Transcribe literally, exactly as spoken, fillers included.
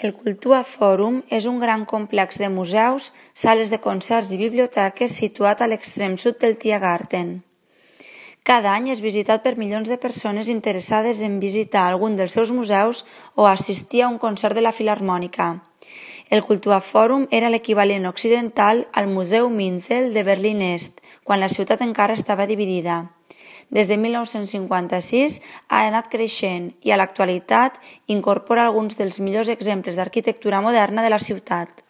El Kultur Forum és un gran complex de museus, sales de concerts i biblioteques situat a l'extrem sud del Tiergarten. Cada any és visitat per milions de persones interessades en visitar algun dels seus museus o assistir a un concert de la Filharmònica. El Kultur Forum era l'equivalent occidental al Museu Minzel de Berlín Est, quan la ciutat encara estava dividida. Des de mil nou-cents cinquanta-sis ha anat creixent i a l'actualitat incorpora alguns dels millors exemples d'arquitectura moderna de la ciutat.